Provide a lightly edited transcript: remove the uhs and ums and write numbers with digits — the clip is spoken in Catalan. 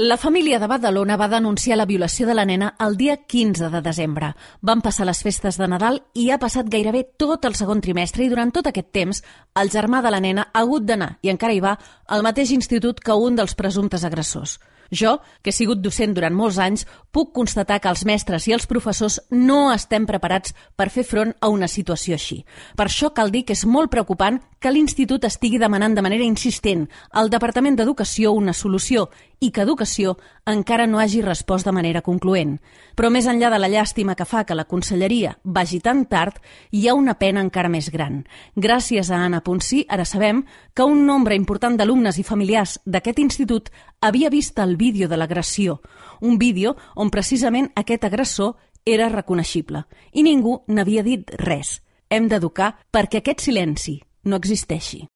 La família de Badalona va denunciar la violació de la nena el dia 15 de desembre. Van passar les festes de Nadal i ha passat gairebé tot el segon trimestre i durant tot aquest temps el germà de la nena ha hagut d'anar, i encara hi va, al mateix institut que un dels presumptes agressors. Jo, que he sigut docent durant molts anys, puc constatar que els mestres i els professors no estem preparats per fer front a una situació així. Per això cal dir que és molt preocupant que l'Institut estigui demanant de manera insistent al Departament d'Educació una solució i que Educació encara no hagi respost de manera concloent. Però més enllà de la llàstima que fa que la conselleria vagi tan tard, hi ha una pena encara més gran. Gràcies a Anna Ponsí, ara sabem que un nombre important d'alumnes i familiars d'aquest institut havia vist el vídeo de l'agressió, un vídeo on precisament aquest agressor era reconeixible i ningú n'havia dit res. Hem d'educar perquè aquest silenci no existeixi.